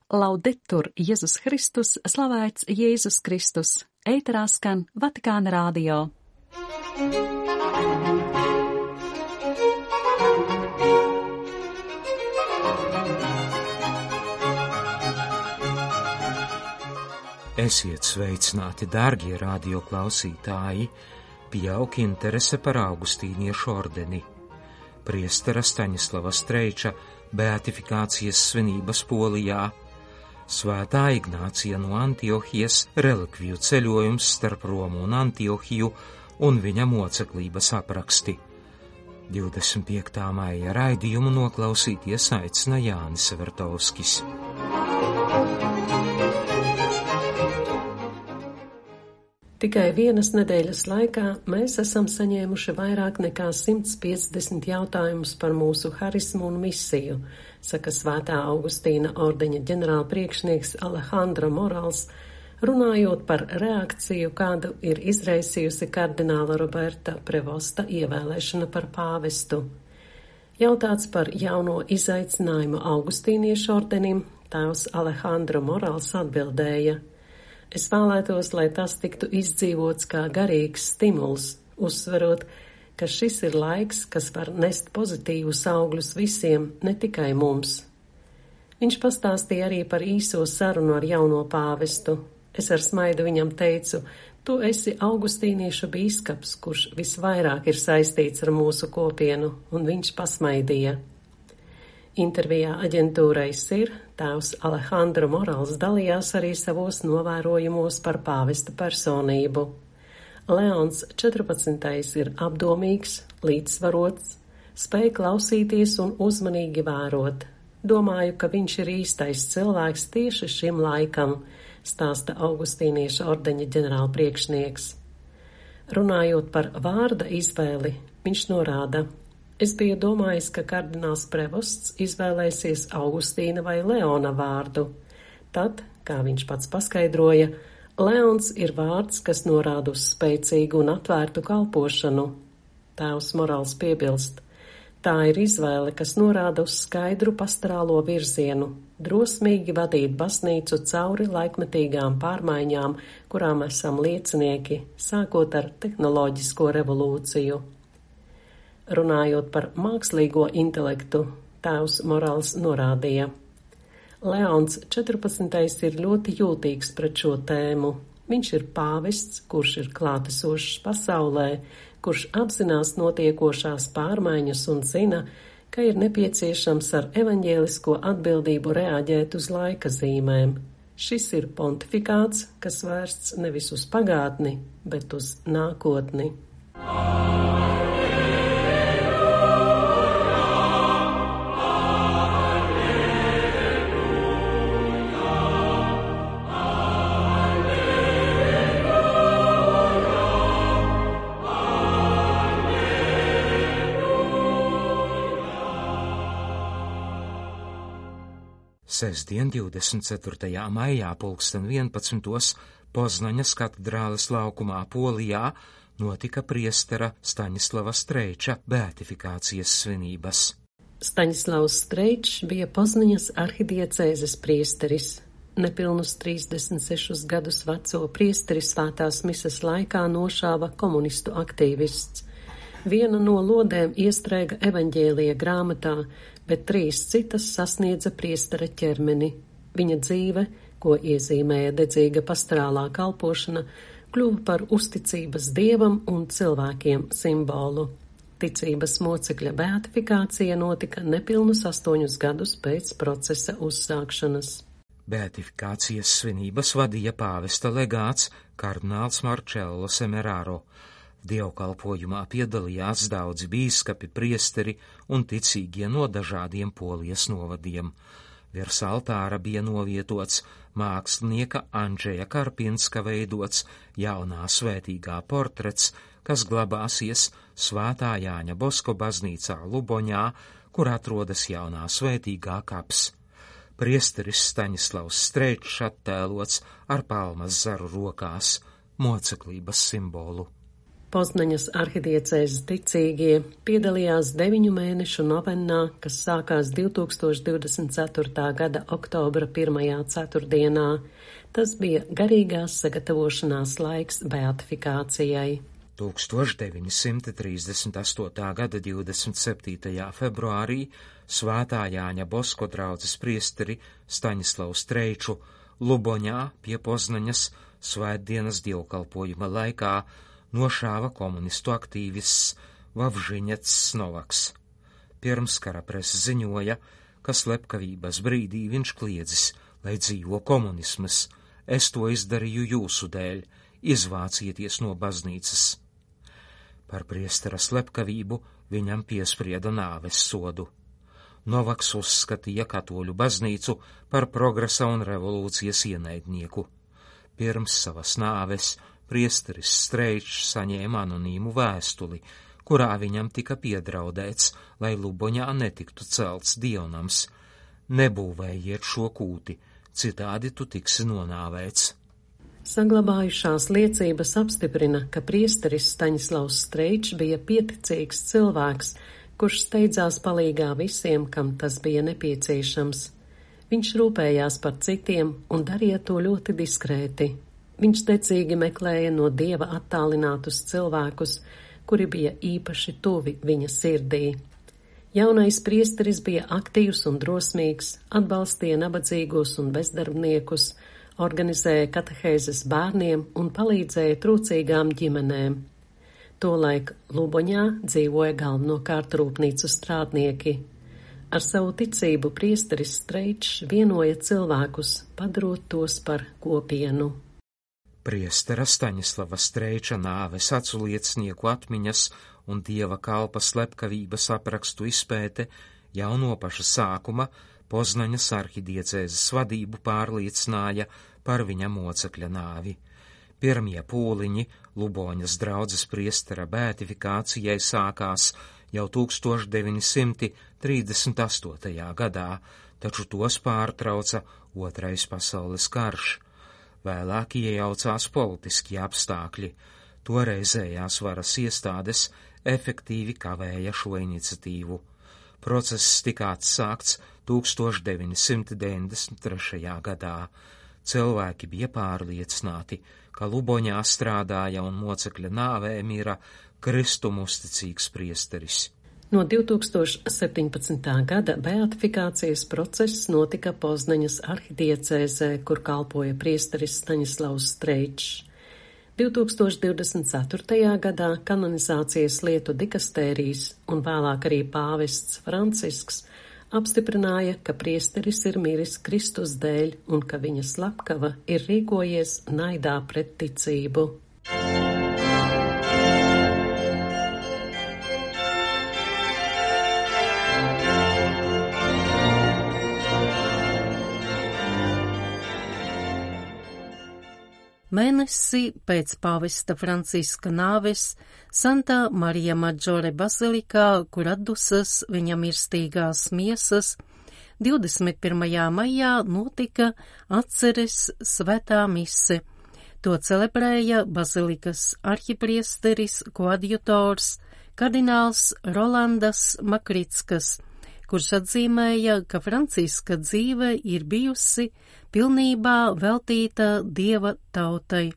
Laudetur Jēzus Kristus, slavēts Jēzus Kristus, ēterā skan Vatikāna radio. Esiet sveicināti, dārgie radio klausītāji, pieaug interese par augustīniešu ordeni. Priestera Staņislava Streiča beatifikācijas svinības Polijā, Svētā Ignācija no Antiohijas relikviju ceļojums starp Romu un Antiohiju un viņa moceklības apraksti. 25. maija raidījumu noklausīties aicina Jānis Vertovskis. Tikai vienas nedēļas laikā mēs esam saņēmuši vairāk nekā 150 jautājumus par mūsu harismu un misiju, saka Svētā Augustīna ordeņa ģenerālpriekšnieks Alejandro Morals, runājot par reakciju, kādu ir izraisījusi kardināla Roberta Prevosta ievēlēšana par pāvestu. Jautāts par jauno izaicinājumu augustīniešu ordenim, tēvs Alejandro Morals atbildēja: Es vēlētos, lai tas tiktu izdzīvots kā garīgs stimuls, uzsverot, ka šis ir laiks, kas var nest pozitīvus augļus visiem, ne tikai mums. Viņš pastāstīja arī par īso sarunu ar jauno pāvestu. Es ar smaidu viņam teicu: Tu esi augustīniešu bīskaps, kurš visvairāk ir saistīts ar mūsu kopienu, un viņš pasmaidīja. Intervijā aģentūrai SIR tēvs Alejandro Morals dalījās arī savos novērojumos par pāvesta personību. Leons 14. ir apdomīgs, līdzsvarots, spēj klausīties un uzmanīgi vērot. Domāju, ka viņš ir īstais cilvēks tieši šim laikam, stāsta augustīnieša ordeņa ģenerālpriekšnieks. Runājot par vārda izvēli, viņš norāda: Es biju domājis, ka kardināls Prevosts izvēlēsies Augustīna vai Leona vārdu. Tad, kā viņš pats paskaidroja, Leons ir vārds, kas norāda uz spēcīgu un atvērtu kalpošanu. Tēvs Morals piebilst: Tā ir izvēle, kas norāda uz skaidru pastorālo virzienu, drosmīgi vadīt baznīcu cauri laikmetīgām pārmaiņām, kurām esam liecinieki, sākot ar tehnoloģisko revolūciju. Runājot par mākslīgo intelektu, tēvs Morals norādīja: Leons 14. ir ļoti jūtīgs pret šo tēmu. Viņš ir pāvests, kurš ir klātesošs pasaulē, kurš apzinās notiekošās pārmaiņas un zina, ka ir nepieciešams ar evaņģēlisko atbildību reaģēt uz laika zīmēm. Šis ir pontifikāts, kas vērsts nevis uz pagātni, bet uz nākotni. Sestdien, 24. maijā, 11. Poznaņas katedrāles laukumā Polijā notika priestera Staņislava Streiča beatifikācijas svinības. Staņislavs Streičs bija Poznaņas arhidiecēzes priesteris. Nepilnus 36 gadus veco priesteri svētās mises laikā nošāva komunistu aktīvists. Viena no lodēm iestrēga evaņģēlija grāmatā, bet 3 citas sasniedza priestera ķermeni. Viņa dzīve, ko iezīmēja dedzīga pastorālā kalpošana, kļuva par uzticības dievam un cilvēkiem simbolu. Ticības mocekļa beatifikācija notika nepilnus 8 gadus pēc procesa uzsākšanas. Beatifikācijas svinības vadīja pāvesta legāts kardināls Marcello Semeraro. Dievkalpojumā piedalījās daudzi bīskapi, priesteri un ticīgie no dažādiem Polijas novadiem. Virs altāra bija novietots mākslinieka Andžeja Karpinska veidots jaunā svētīgā portrets, kas glabāsies Svētā Jāņa Bosko baznīcā Luboņā, kur atrodas jaunā svētīgā kaps. Priesteris Staņislavs Streičs attēlots ar palmas zaru rokās, moceklības simbolu. Poznaņas arhidiecēzes ticīgie piedalījās 9 mēnešu novennā, kas sākās 2024. gada oktobra 1. ceturtdienā. Tas bija garīgās sagatavošanās laiks beatifikācijai. 1938. gada 27. februārī Svētā Jāņa Bosko draudzes priesteri Staņislavu Streiču Luboņā pie Poznaņas svētdienas dievkalpojuma laikā nošāva komunistu aktīvists Vavžiņets Novaks. Pirms kara presa ziņoja, ka slepkavības brīdī viņš kliedzis, lai dzīvo komunismas. Es to izdarīju jūsu dēļ, izvācieties no baznīcas. Par priestera slepkavību viņam piesprieda nāves sodu. Novaks uzskatīja katoļu baznīcu par progresa un revolūcijas ienaidnieku. Pirms savas nāves priesteris Streičs saņēma anonīmu vēstuli, kurā viņam tika piedraudēts, lai Luboņā netiktu celts dievnams. Nebūvējiet šo kūti, citādi tu tiksi nonāvēts. Saglabājušās liecības apstiprina, ka priesteris Staņislavs Streičs bija pieticīgs cilvēks, kurš steidzās palīgā visiem, kam tas bija nepieciešams. Viņš rūpējās par citiem un darīja to ļoti diskrēti. Viņš decīgi meklēja no Dieva attālinātus cilvēkus, kuri bija īpaši tuvi viņa sirdī. Jaunais priesteris bija aktīvs un drosmīgs, atbalstīja nabadzīgos un bezdarbniekus, organizēja katehēzes bērniem un palīdzēja trūcīgām ģimenēm. Tolaik Luboņā dzīvoja galvenokārt rūpnīcu strādnieki. Ar savu ticību priesteris Streičs vienoja cilvēkus, padarot tos par kopienu. Priestera Staņislava Streiča nāves aculiecinieku atmiņas un dieva kalpa slepkavības aprakstu izpēte jau no paša sākuma Poznaņas arhidiecēzes vadību pārliecināja par viņa mocekļa nāvi. Pirmie pūliņi Luboņas draudzes priestera beatifikācijai sākās jau 1938. gadā, taču tos pārtrauca Otrais pasaules karš. Vēlāk iejaucās politiskie apstākļi. Toreizējās varas iestādes efektīvi kavēja šo iniciatīvu. Process tika atsākts 1993. gadā. Cilvēki bija pārliecināti, ka Luboņā strādāja un mocekļa nāvē mira Kristum uzticīgs priesteris. No 2017. gada beatifikācijas process notika Poznaņas arhidiecēzē, kur kalpoja priesteris Staņislavs Streičs. 2024. gadā kanonizācijas lietu dikastērijas un vēlāk arī pāvests Francisks apstiprināja, ka priesteris ir miris Kristus dēļ un ka viņa slepkava ir rīkojies naidā pret ticību. Mēnesi pēc pāvesta Franciska nāves Santa Marija Maggiore bazilikā, kur atdusas viņa mirstīgās miesas, 21. maijā notika atceres svētā mise. To celebrēja bazilikas arhipriesteris koadjutors kardināls Rolandas Makrickas, kurš atzīmēja, ka Franciska dzīve ir bijusi pilnībā veltīta Dieva tautai.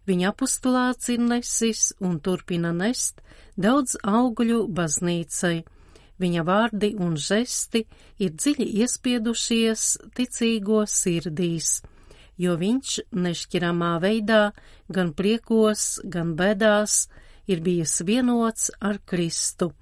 Viņa apostulāts ir nesis un turpina nest daudz augļu baznīcai. Viņa vārdi un žesti ir dziļi iespiedušies ticīgo sirdīs, jo viņš nešķiramā veidā gan priekos, gan bēdās ir bijis vienots ar Kristu.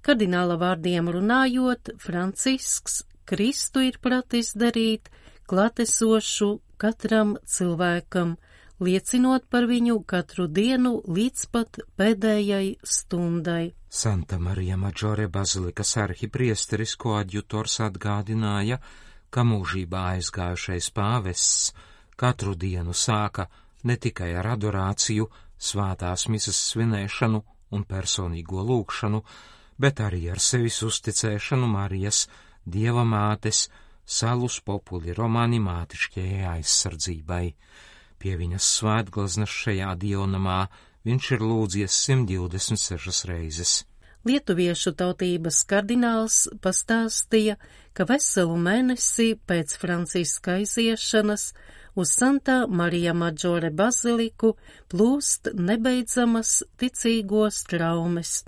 Kardināla vārdiem runājot, Francisks Kristu ir pratis darīt klātesošu katram cilvēkam, liecinot par viņu katru dienu līdz pat pēdējai stundai. Santa Marija Maggiore bazilikas arhipriesteris koadjutors atgādināja, ka mūžībā aizgājušais pāvests katru dienu sāka ne tikai ar adorāciju, svētās misas svinēšanu un personīgo lūgšanu, bet arī ar sevis uzticēšanu Marijas, Dieva mātes, salus populi romani mātišķajai aizsardzībai. Pie viņas svētgleznas šajā dievnamā viņš ir lūdzies 126 reizes. Lietuviešu tautības kardināls pastāstīja, ka veselu mēnesi pēc Franciska aiziešanas uz Santa Marija Maggiore baziliku plūst nebeidzamas ticīgo straumes,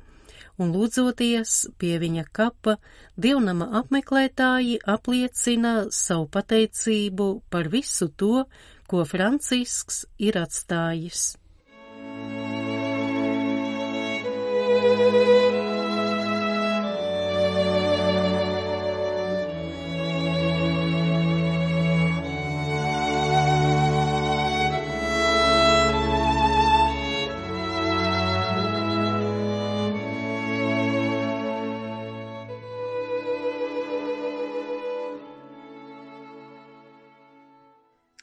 un lūdzoties pie viņa kapa, dievnama apmeklētāji apliecina savu pateicību par visu to, ko Francisks ir atstājis.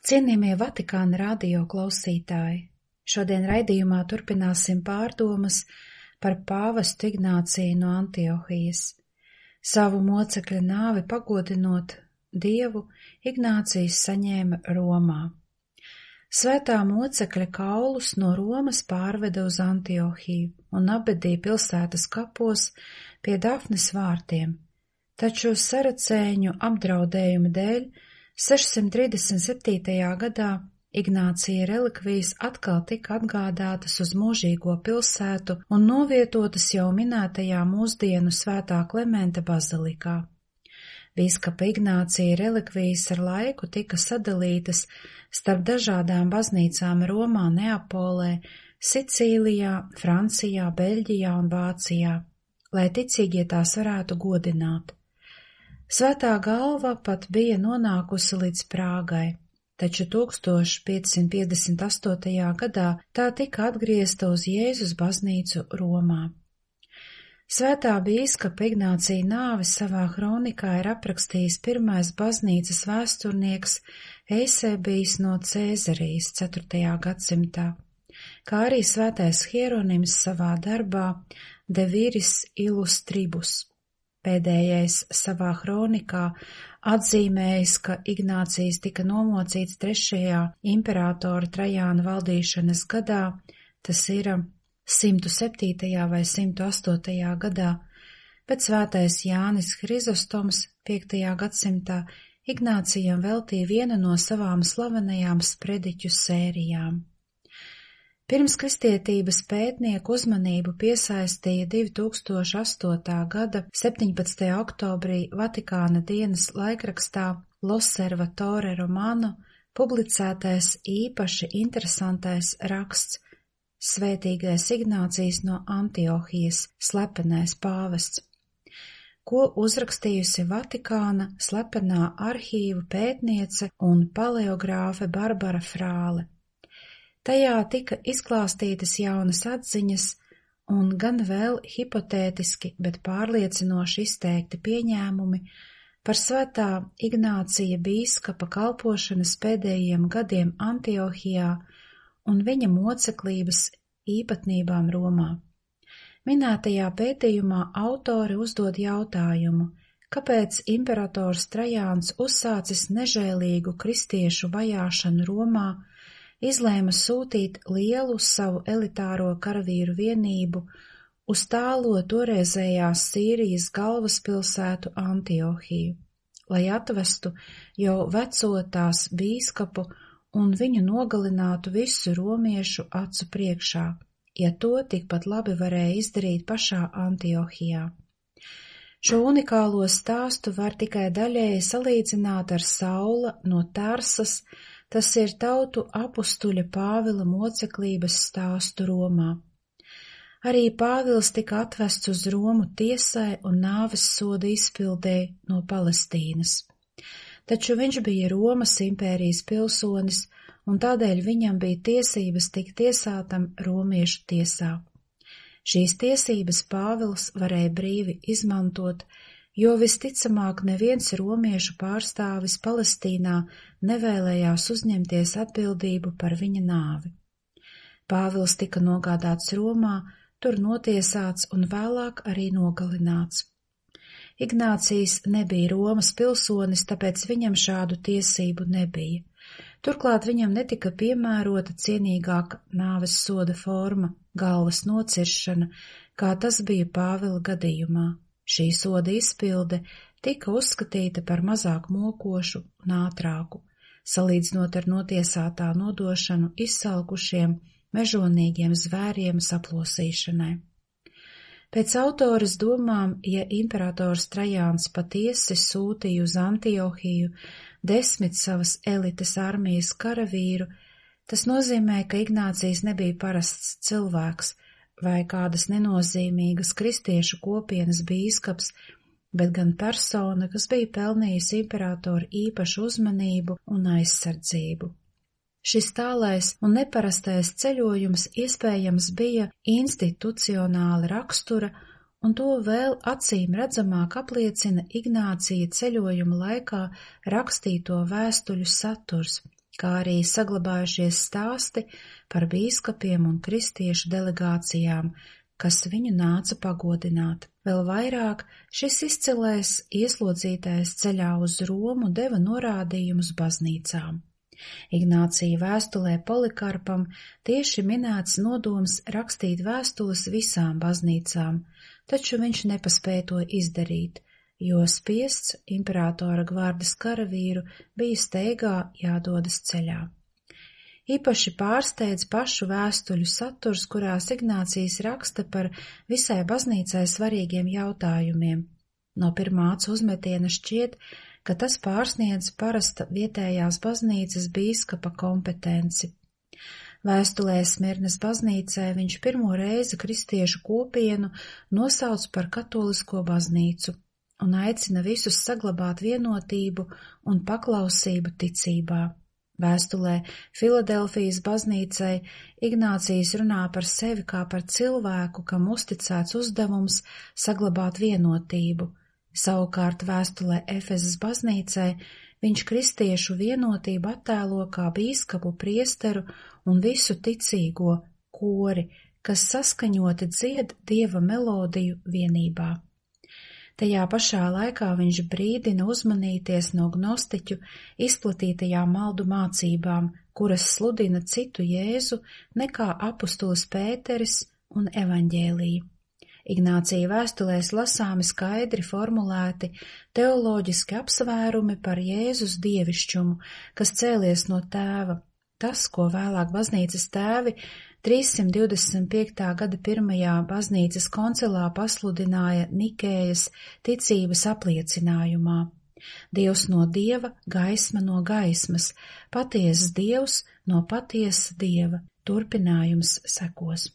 Cienījamie Vatikāna radio klausītāji, šodien raidījumā turpināsim pārdomas par pāvestu Ignāciju no Antiohijas. Savu mocekļa nāvi pagodinot Dievu, Ignācijs saņēma Romā. Svētā mocekļa kaulus no Romas pārveda uz Antiohiju un apbedīja pilsētas kapos pie Dafnes vārtiem, taču saracēņu apdraudējuma dēļ 637. gadā Ignācija relikvijas atkal tika atgādātas uz mūžīgo pilsētu un novietotas jau minētajā mūsdienu Svētā Klementa bazilikā. Bīskapa Ignācija relikvijas ar laiku tika sadalītas starp dažādām baznīcām Romā, Neapolē, Sicīlijā, Francijā, Beļģijā un Vācijā, lai ticīgie tās varētu godināt. Svētā galva pat bija nonākusi līdz Prāgai, taču 1558. gadā tā tika atgriezta uz Jēzus baznīcu Romā. Svētā bīskapa Ignācija nāvi savā kronikā ir aprakstījis pirmais baznīcas vēsturnieks Eisebijs no Cēzarijas 4. gadsimtā, kā arī svētais Hieronims savā darbā De Viris Illustribus. Pēdējais savā kronikā atzīmējis, ka Ignācijs tika nomocīts 3. imperatora Trajāna valdīšanas gadā, tas ir 107. vai 108. gadā, bet svētais Jānis Hrizostoms 5. gadsimtā Ignācijam veltīja vienu no savām slavenajām sprediķu sērijām. Pirms kristietības pētnieku uzmanību piesaistīja 2008. gada 17. oktobrī Vatikāna dienas laikrakstā L'Osservatore Romano publicētais īpaši interesantais raksts Svētīgais Ignācijs no Antiohijas, slepenais pāvests, ko uzrakstījusi Vatikāna slepenā arhīvu pētniece un paleogrāfe Barbara Frāle. Tajā tika izklāstītas jaunas atziņas un gan vēl hipotētiski, bet pārliecinoši izteikti pieņēmumi par svētā Ignācija bīskapa kalpošanas pēdējiem gadiem Antiohijā un viņa moceklības īpatnībām Romā. Minētajā pētījumā autori uzdod jautājumu, kāpēc imperators Trajāns uzsācis nežēlīgu kristiešu vajāšanu Romā, izlēma sūtīt lielu savu elitāro karavīru vienību uz tālo toreizējās Sīrijas galvaspilsētu Antiohiju, lai atvestu jau veco tās bīskapu un viņu nogalinātu visu romiešu acu priekšā, ja to tikpat labi varēja izdarīt pašā Antiohijā. Šo unikālo stāstu var tikai daļēji salīdzināt ar Saula no Tarsas, tas ir tautu apustuļa Pāvila moceklības stāstu Romā. Arī Pāvils tika atvests uz Romu tiesai un nāves soda izpildēji no Palestīnas. Taču viņš bija Romas impērijas pilsonis, un tādēļ viņam bija tiesības tikt tiesātam romiešu tiesā. Šīs tiesības Pāvils varēja brīvi izmantot, jo visticamāk neviens romiešu pārstāvis Palestīnā nevēlējās uzņemties atbildību par viņa nāvi. Pāvils tika nogādāts Romā, tur notiesāts un vēlāk arī nogalināts. Ignācijs nebija Romas pilsonis, tāpēc viņam šādu tiesību nebija. Turklāt viņam netika piemērota cienīgāka nāves soda forma – galvas nociršana, kā tas bija Pāvila gadījumā. Šī soda izpilde tika uzskatīta par mazāk mokošu un ātrāku, salīdzinot ar notiesātā nodošanu izsalkušiem, mežonīgiem zvēriem saplosīšanai. Pēc autoras domām, ja imperators Trajāns patiesi sūtīja uz Antiohiju 10 savas elites armijas karavīru, tas nozīmē, ka Ignācijs nebija parasts cilvēks vai kādas nenozīmīgas kristiešu kopienas bīskaps, bet gan persona, kas bija pelnījusi imperatoru īpašu uzmanību un aizsardzību. Šis tālais un neparastais ceļojums iespējams bija institucionāla rakstura, un to vēl acīm redzamāk apliecina Ignācija ceļojuma laikā rakstīto vēstuļu saturs, kā arī saglabājušies stāsti par bīskapiem un kristiešu delegācijām, kas viņu nāca pagodināt. Vēl vairāk šis izcilais ieslodzītais ceļā uz Romu deva norādījumus baznīcām. Ignācija vēstulē Polikarpam tieši minēts nodoms rakstīt vēstules visām baznīcām, taču viņš nepaspēja to izdarīt, jo spiests imperatora gvardes karavīru bija steigā jādodas ceļā. Īpaši pārsteidz pašu vēstuļu saturs, kurās Ignācijs raksta par visai baznīcai svarīgiem jautājumiem. No pirmā acu uzmetiena šķiet, ka tas pārsniedz parasta vietējās baznīcas bīskapa kompetenci. Vēstulē Smirnes baznīcai viņš pirmo reizi kristiešu kopienu nosauc par katolisko baznīcu un aicina visus saglabāt vienotību un paklausību ticībā. Vēstulē Filadelfijas baznīcai Ignācijs runā par sevi kā par cilvēku, kam uzticēts uzdevums saglabāt vienotību. Savukārt vēstulē Efezas baznīcai viņš kristiešu vienotību attēlo kā bīskapu, priesteru un visu ticīgo kori, kas saskaņoti dzied Dieva melodiju vienībā. Tajā pašā laikā viņš brīdina uzmanīties no gnostiķu izplatītajām maldu mācībām, kuras sludina citu Jēzu nekā apustulis Pēteris un evaņģēlija. Ignācija vēstulēs lasāmi skaidri formulēti teoloģiski apsvērumi par Jēzus dievišķumu, kas cēlies no Tēva. Tas, ko vēlāk baznīcas tēvi 325. gada 1. baznīcas koncilā pasludināja Nikējas ticības apliecinājumā. Dievs no Dieva, gaisma no gaismas, patiesas Dievs no patiesa Dieva. Turpinājums sekos.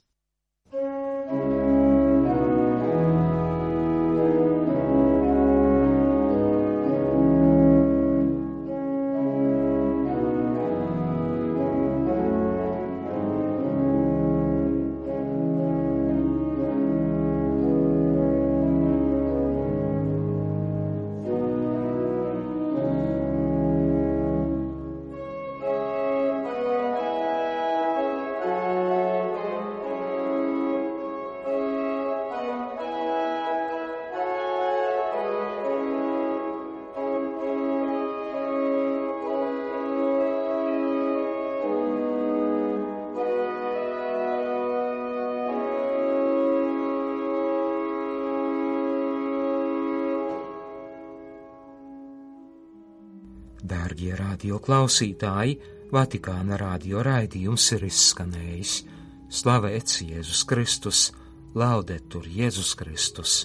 Dārgie radio klausītāji, Vatikāna radio raidījums ir izskanējis. Slavēts Jēzus Kristus, laudetur Jēzus Kristus!